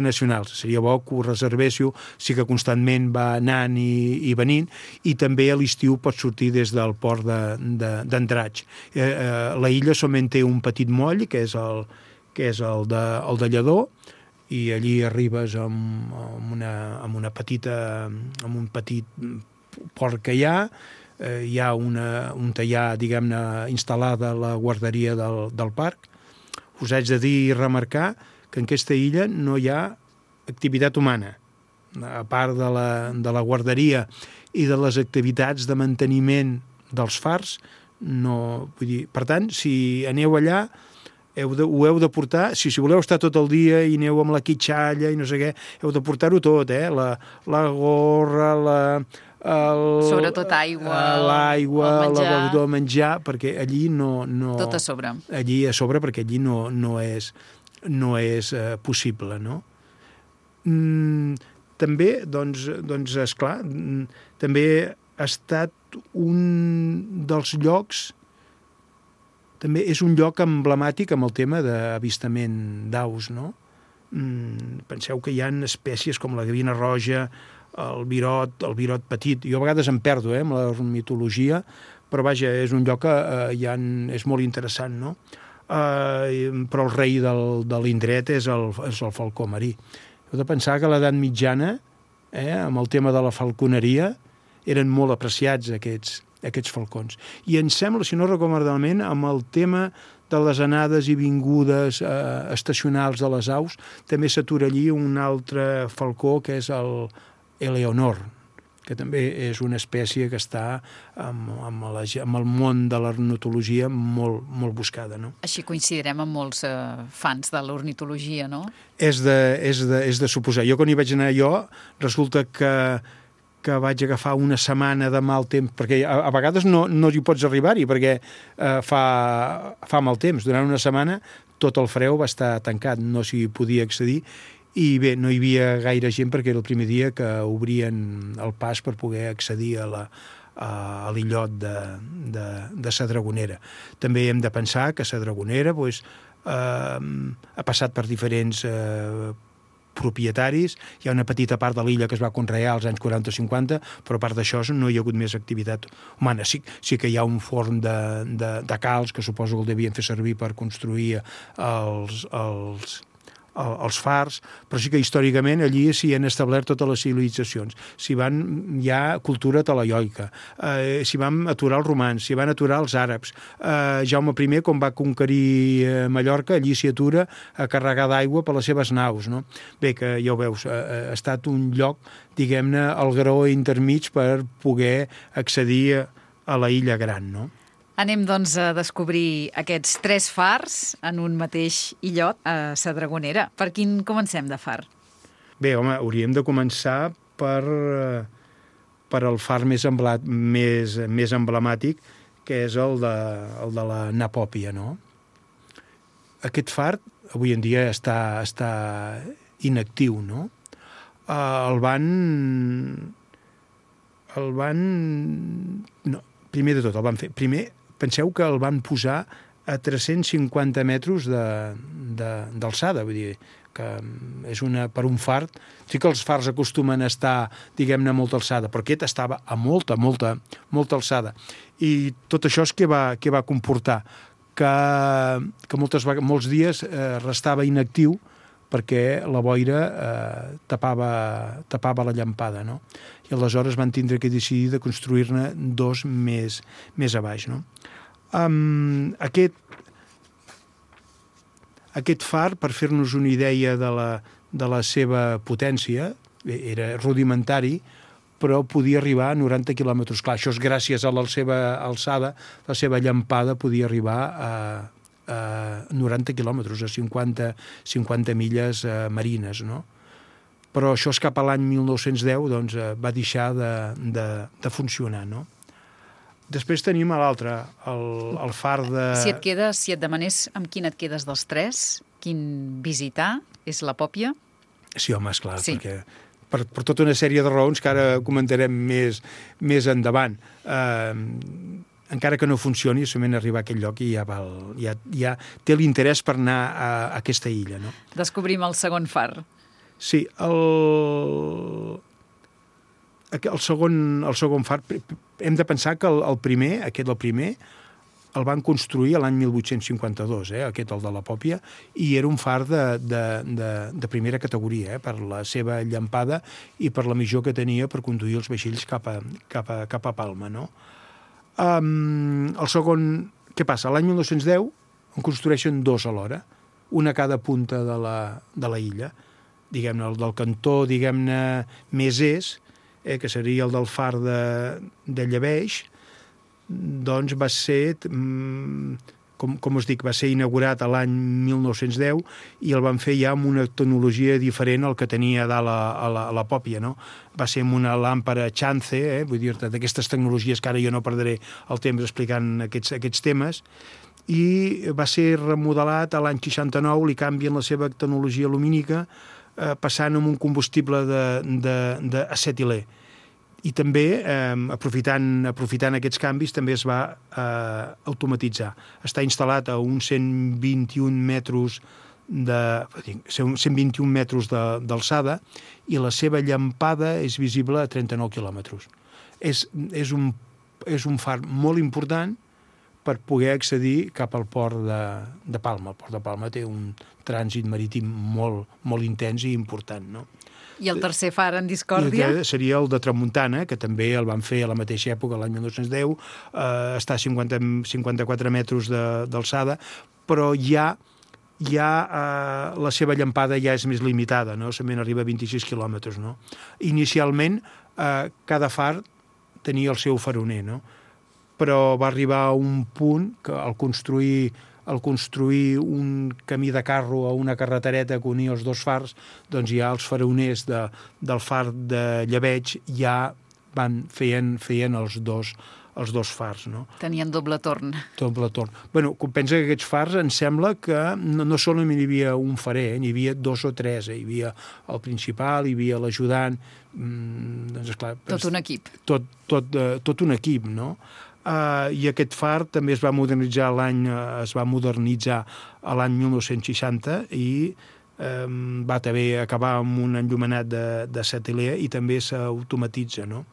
nacionals. Seria bo que ho reservéssiu, sí que constantment va anant i venint, i també a l'estiu pot sortir des del port d'Andratx. La illa solament té un petit moll, que és el de Lledó, i allí arribes amb un petit port que hi ha un tallar, diguem-ne, instal·lada a la guarderia del parc. Us haig de dir i remarcar que en aquesta illa no hi ha activitat humana. A part de la guarderia i de les activitats de manteniment dels fars, no, vull dir, per tant, si aneu allà, ho heu de portar, si voleu estar tot el dia i aneu amb la quitxalla i no sé què, heu de portar-ho tot, la gorra, sobretot aigua, el el menjar, perquè allí no... Tot a sobre. Allí a sobre, perquè allí no és possible, no? També, doncs, esclar, també ha estat un dels llocs, també és un lloc emblemàtic amb el tema d'avistament d'aus, no? Penseu que hi ha espècies com la gavina roja, el virot petit. Jo a vegades em perdo amb la ornitologia, però vaja, és un lloc que és molt interessant, no? Però el rei de l'indret és el falcó marí. Heu de pensar que a l'edat mitjana, amb el tema de la falconeria, eren molt apreciats aquests falcons. I em sembla, si no recordo malament, amb el tema de les anades i vingudes estacionals de les aus, també s'atura allí un altre falcó, que és el Eleonor, que també és una espècie que està amb el món de l'ornitologia molt, molt buscada, no? Així coincidirem amb molts fans de l'ornitologia, no? És de suposar. Jo, quan hi vaig anar resulta que vaig agafar una setmana de mal temps, perquè a vegades no hi pots arribar-hi, perquè fa mal temps. Durant una setmana tot el freu va estar tancat, no s'hi podia accedir, i bé, no hi havia gaire gent perquè era el primer dia que obrien el pas per poder accedir a l'illot de Sa Dragonera. També hem de pensar que Sa Dragonera ha passat per diferents propietaris. Hi ha una petita part de l'illa que es va conrear als anys 40 o 50, però a part d'això no hi ha hagut més activitat humana. Sí que hi ha un forn de calç que suposo que el devien fer servir per construir els fars, però sí que històricament allí s'hi han establert totes les civilitzacions. Hi ha cultura talaioica, s'hi van aturar els romans, s'hi van aturar els àrabs. Jaume I, quan va conquerir Mallorca, allí s'hi atura a carregar d'aigua per les seves naus, no? Bé, que ja ho veus, ha estat un lloc, diguem-ne, al graó intermig per poder accedir a la illa gran, no? Anem, doncs, a descobrir aquests 3 fars en un mateix illot a Sa Dragonera. Per quin comencem de far? Bé, home, hauríem de començar per el far més emblemàtic, que és el de la Napòpia, no? Aquest far, avui en dia, està inactiu, no? Primer de tot, el van fer... Penseu que el van posar a 350 metres d'alçada, vull dir, que és per un far... Sí que els fars acostumen a estar, diguem-ne, a molta alçada, però aquest estava a molta alçada. I tot això és què va comportar? Que molts dies restava inactiu perquè la boira tapava la llampada, no? I aleshores van tindre que decidir de construir-ne 2 més a baix, no? Aquest far, per fer-nos una idea de la seva potència, era rudimentari, però podia arribar a 90 quilòmetres. Clar, això és gràcies a la seva alçada, la seva llampada podia arribar a 90 quilòmetres, a 50 milles marines, no? Però això és cap a l'any 1910, doncs va deixar de funcionar, no? Després tenim l'altre, el far de... Si et demanés amb quin et quedes dels tres, quin visitar, és la Pòpia? Sí, home, esclar, sí. Perquè per tota una sèrie de raons que ara comentarem més endavant. Encara que no funcioni, solament arribar a aquell lloc i ja té l'interès per anar a aquesta illa, no? Descobrim el segon far. Sí, el segon far, hem de pensar que el primer, el van construir l'any 1852, aquest, el de la Pòpia, i era un far de primera categoria, per la seva llampada i per la missió que tenia per conduir els vaixells cap a Palma, no? El segon, què passa? L'any 1910 en construeixen dos alhora, una a cada punta de la illa, diguem-ne, el del cantó, diguem-ne, més que seria el del far de Lleveix, doncs va ser, com us dic, va ser inaugurat l'any 1910 i el van fer ja amb una tecnologia diferent al que tenia a dalt a la Pòpia, no? Va ser amb una làmpara Chance, vull dir-te, d'aquestes tecnologies que ara jo no perdré el temps explicant aquests temes, i va ser remodelat l'any 69, li canvien la seva tecnologia lumínica, passant amb un combustible d'acetilè. I també, aprofitant aquests canvis, també es va automatitzar. Està instal·lat a uns 121 metres d'alçada i la seva llampada és visible a 39 quilòmetres. És un far molt important per poder accedir cap al port de Palma. El port de Palma té un trànsit marítim molt intens i important, no? I el tercer far en discòrdia? Seria el de Tramuntana, que també el van fer a la mateixa època, l'any 1910, està a 54 metres d'alçada, però ja la seva llampada ja és més limitada, no? Solament arriba a 26 quilòmetres, no? Inicialment, cada far tenia el seu faroner, no? Però va arribar a un punt que al construir un camí de carro a una carretereta que unia els dos fars, doncs ja els faroners del far de Lleveig ja feien els dos fars, no? Tenien doble torn. Doble torn. Bueno, pensa que aquests fars em sembla que no solament hi havia un farer, n'hi havia dos o tres. Hi havia el principal, hi havia l'ajudant, doncs esclar... Tot un equip. Tot un equip, no? I aquest far també es va modernitzar l'any 1960 i va també acabar amb un enllumenat d'acetilè i també s'automatitza, no?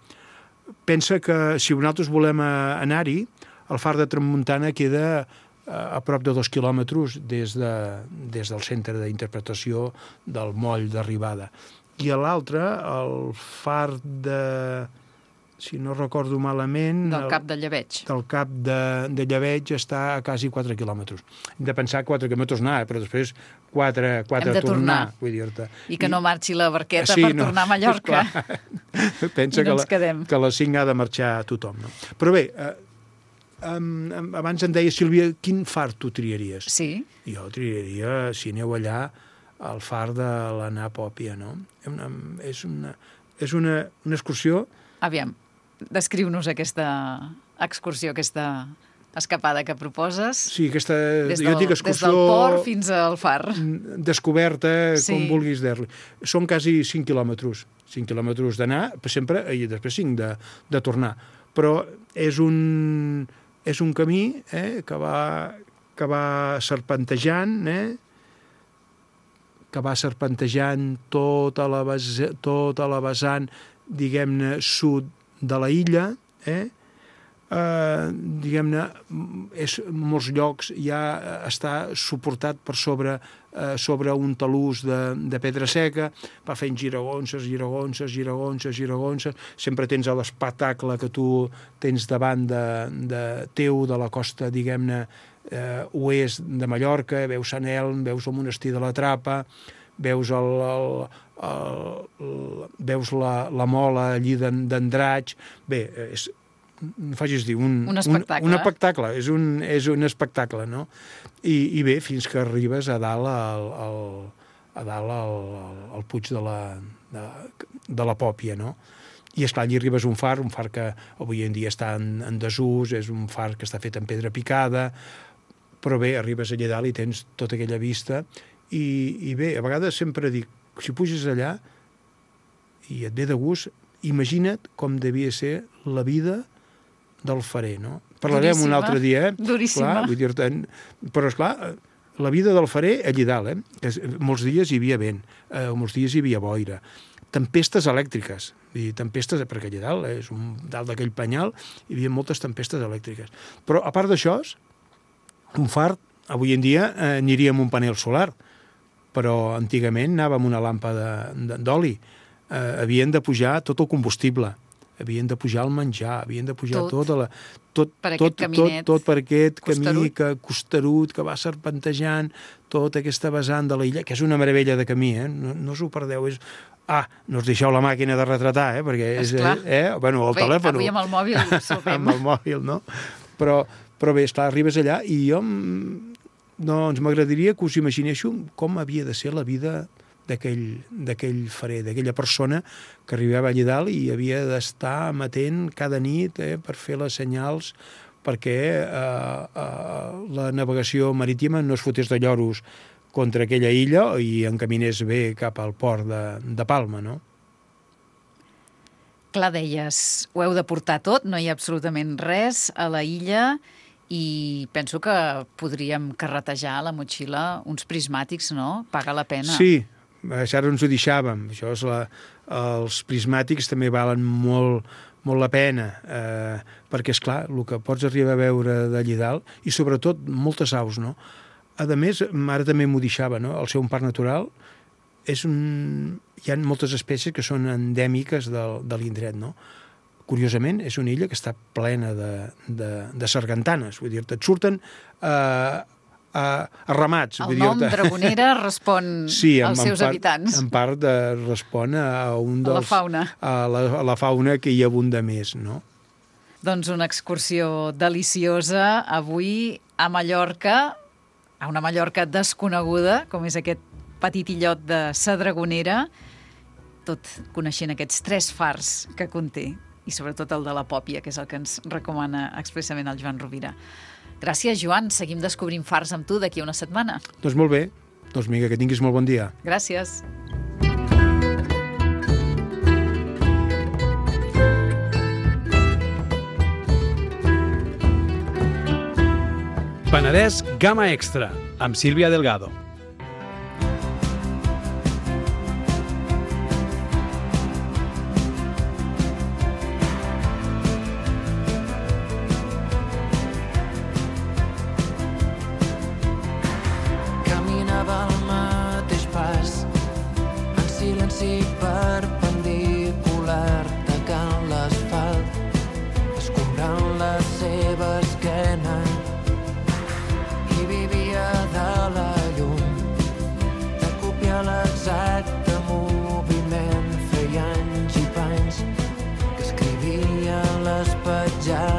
Pensa que si nosaltres volem anar-hi, el far de Tramuntana queda a prop de 2 quilòmetres des del centre d'interpretació del moll d'arribada. I l'altre, el far de... si no recordo malament... Del Cap de Lleveig. Del Cap de Lleveig està a quasi 4 quilòmetres. Hem de pensar 4 quilòmetres anar, però després 4 tornar. Vull dir-te. I que no marxi la barqueta per tornar a Mallorca. Pensa que a les 5 ha de marxar tothom. No? Però bé, abans em deia, Sílvia, quin far tu triaries? Sí. Jo triaria, si aneu allà, el far de la Pòpia, no? És una excursió... Aviam, descriu-nos aquesta excursió, aquesta escapada que proposes. Sí, aquesta excursió... Des del port fins al far. Descoberta, com vulguis dir-li. Són quasi 5 quilòmetres. 5 quilòmetres d'anar, sempre, i després 5 de tornar. Però és un camí que va serpentejant, tota la vessant, diguem-ne, sud de la illa, diguem-ne, molts llocs ja està suportat per sobre un talús de pedra seca, va fent giragonses, sempre tens l'espectacle que tu tens davant de la costa, diguem-ne, oest de Mallorca, veus Sant Elm, veus el monestir de la Trapa, veus la mola allí d'Andratx. Bé, no facis dir, un espectacle, és un espectacle, no? I bé, fins que arribes a dalt a dalt al puig de la Pòpia, no? I, esclar, allí arribes a un far que avui en dia està en desús, és un far que està fet en pedra picada, però bé, arribes allà dalt i tens tota aquella vista, i bé, a vegades sempre dic, si puges allà i et ve de gust, imagina't com devia ser la vida del farer, no? Parlarem un altre dia, Duríssima. Clar, vull dir-te, però, esclar, la vida del farer allà dalt, que molts dies hi havia vent, molts dies hi havia boira, tempestes elèctriques, tempestes, perquè allà dalt, és dalt d'aquell penyal, hi havia moltes tempestes elèctriques. Però, a part d'això, un far, avui en dia, aniria amb un panel solar, però antigament anava amb una làmpada d'oli. Havien de pujar tot el combustible, havien de pujar el menjar, havien de pujar tot per aquest camí costerut que va serpentejant, tota aquesta vessant de l'illa, que és una meravella de camí, no us ho perdeu, no us deixeu la màquina de retratar, perquè és... Bueno, el telèfon... Avui amb el mòbil sopem. Amb el mòbil, no? Però bé, esclar, arribes allà i jo doncs m'agradaria que us imaginéssiu com havia de ser la vida d'aquell farer, d'aquella persona que arribava allà dalt i havia d'estar amatent cada nit per fer les senyals perquè la navegació marítima no es fotés de lloros contra aquella illa i encaminés bé cap al port de Palma, no? Clar, deies, ho heu de portar tot, no hi ha absolutament res a la illa i penso que podríem carretejar a la motxilla uns prismàtics, no? Paga la pena. Sí, ara ens ho deixàvem. Els prismàtics també valen molt la pena, perquè, esclar, el que pots arribar a veure d'allà dalt, i sobretot moltes aus, no? A més, ara també m'ho deixava, no? El seu parc natural hi ha moltes espècies que són endèmiques de l'indret, no? Curiosament, és una illa que està plena de sargantanes, vull dir-te, et surten a ramats. El nom Dragonera respon als seus habitants. En part respon a la fauna. A la fauna que hi abunda més, no? Doncs una excursió deliciosa avui a Mallorca, a una Mallorca desconeguda, com és aquest petit illot de Sa Dragonera, tot coneixent aquests 3 fars que conté, i sobretot el de la Pòpia, que és el que ens recomana expressament el Joan Rovira. Gràcies, Joan. Seguim descobrint fars amb tu d'aquí a una setmana. Doncs molt bé. Doncs vinga, que tinguis molt bon dia. Gràcies. Penedès Gamma Extra, amb Sílvia Delgado. Caminava al mateix pas, en silenci perpendicular, tacant l'asfalt, escombrant la seva esquena. De la llum, de copiar l'exacte moviment, feia anys i panys que escrivia les petjades